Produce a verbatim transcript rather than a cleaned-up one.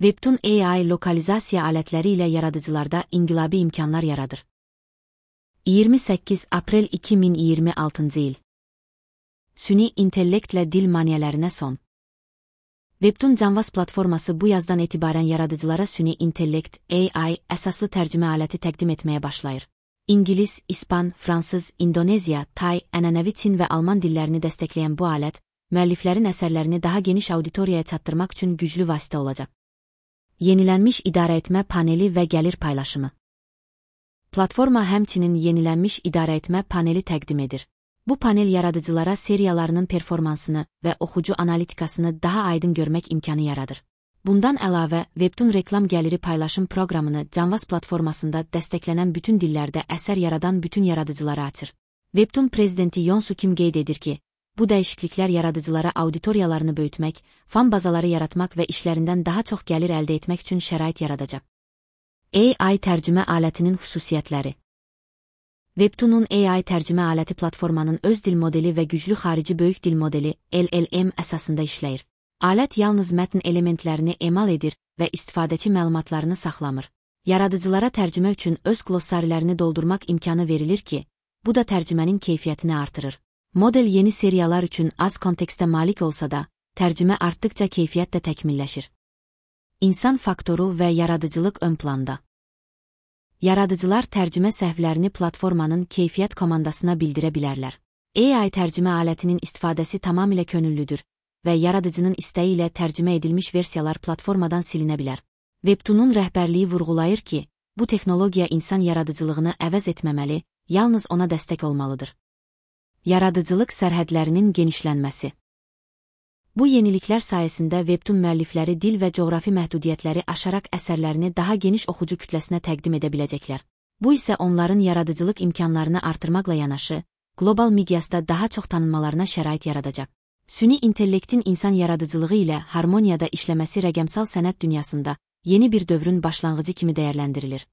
Webtoon A I lokalizasiya alətləri ilə yaradıcılarda inqilabi imkanlar yaradır. iyirmi səkkiz aprel iki min iyirmi altıncı il. Süni intellektlə dil maniyələrinə son. Webtoon Canvas platforması bu yazdan etibarən yaradıcılara süni intellekt A I əsaslı tərcümə aləti təqdim etməyə başlayır. İngilis, İspan, Fransız, İndoneziya, Tay, ənənəvi Çin və Alman dillərini dəstəkləyən bu alət, müəlliflərin əsərlərini daha geniş auditoriyaya çatdırmaq üçün güclü vasitə olacaq. Yenilənmiş idarəetmə paneli və gəlir paylaşımı. Platforma həmçinin yenilənmiş idarəetmə paneli təqdim edir. Bu panel yaradıcılara seriyalarının performansını və oxucu analitikasını daha aydın görmək imkanı yaradır. Bundan əlavə, Webtoon reklam gəliri paylaşım proqramını Canvas platformasında dəstəklənən bütün dillərdə əsər yaradan bütün yaradıcılara açır. Webtoon prezidenti Yonsu Kim qeyd edir ki, bu dəyişikliklər yaradıcılara auditoriyalarını böyütmək, fan bazaları yaratmaq və işlərindən daha çox gəlir əldə etmək üçün şərait yaradacaq. A I tərcümə alətinin xüsusiyyətləri. Webtoon'un A I tərcümə aləti platformanın öz dil modeli və güclü xarici böyük dil modeli L L M əsasında işləyir. Alət yalnız mətn elementlərini emal edir və istifadəçi məlumatlarını saxlamır. Yaradıcılara tərcümə üçün öz glossarilərini doldurmaq imkanı verilir ki, bu da tərcümənin keyfiyyətini artırır. Model yeni seriyalar üçün az kontekstə malik olsa da, tərcümə artdıqca keyfiyyət də təkmilləşir. İnsan faktoru və yaradıcılıq ön planda. Yaradıcılar tərcümə səhvlərini platformanın keyfiyyət komandasına bildirə bilərlər. A I tərcümə alətinin istifadəsi tamamilə könüllüdür və yaradıcının istəyi ilə tərcümə edilmiş versiyalar platformadan silinə bilər. Webtoon'un rəhbərliyi vurğulayır ki, bu texnologiya insan yaradıcılığını əvəz etməməli, yalnız ona dəstək olmalıdır. Yaradıcılıq sərhədlərinin genişlənməsi. Bu yeniliklər sayəsində Webtoon müəllifləri dil və coğrafi məhdudiyyətləri aşaraq əsərlərini daha geniş oxucu kütləsinə təqdim edə biləcəklər. Bu isə onların yaradıcılıq imkanlarını artırmaqla yanaşı, qlobal miqyasda daha çox tanınmalarına şərait yaradacaq. Süni intellektin insan yaradıcılığı ilə harmoniyada işləməsi rəqəmsal sənət dünyasında yeni bir dövrün başlanğıcı kimi dəyərləndirilir.